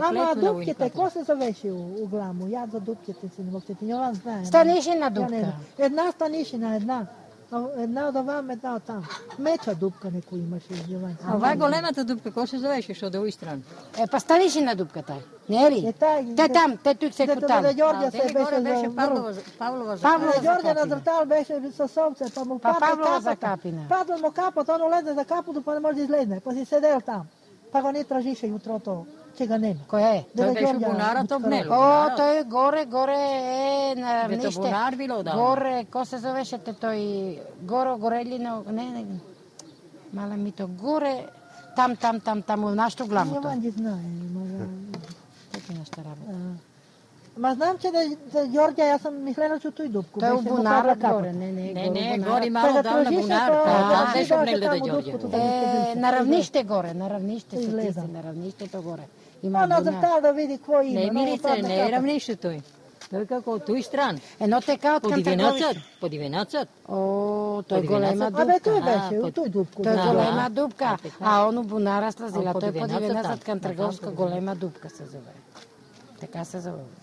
Ама дупките, ко се завеше у гламу? Ја за дупките се не мог се Јован знае. Станишина дупка. Една станишина, една. Една од овам, една од там. Меча дупка некој имаше Јован. А ова големата дупка, кој се завеше што од овој стран? Па станишина дупката. Не ли? Те там, те тук се кутали. Дето Ѓорѓе се беше Павлова за Павлова Ѓорѓе на Зртал беше со совце, па му Павлова за капина. Падал му капот, он улезе за капото, па не може да излезне. Па си седел там. Па го не тражише јутрото, че го нема. Кој е? Тој беше бунарот обнел. О, тој горе е на равниште. Вето бунар било да. Горе, ко се зовешете тој Горелино, не, мала мито, горе, там, у нашто гламото. Јован ги знае. Така нешто работа. Ма знам че да Ѓорѓе, јас сам мислела че тој дупко. Тој е у бунарот горе, не, гори мало дал на бунар. Там беше обнеле да Ѓорѓе. На равниште горе, на равниште се тиси, на равништето горе. Има на Зртал да види кој има. Не, Милице, не е равнище тој. Тој како од тој стран. Ено така од Кантарговиште. По Дивенацот. О, тој голема дупка. Абе тој беше, у тој дупко. Тој голема дупка, а ону бунара слазила, тој по Дивенацот Кантарговска голема дупка се зове. Така се зове.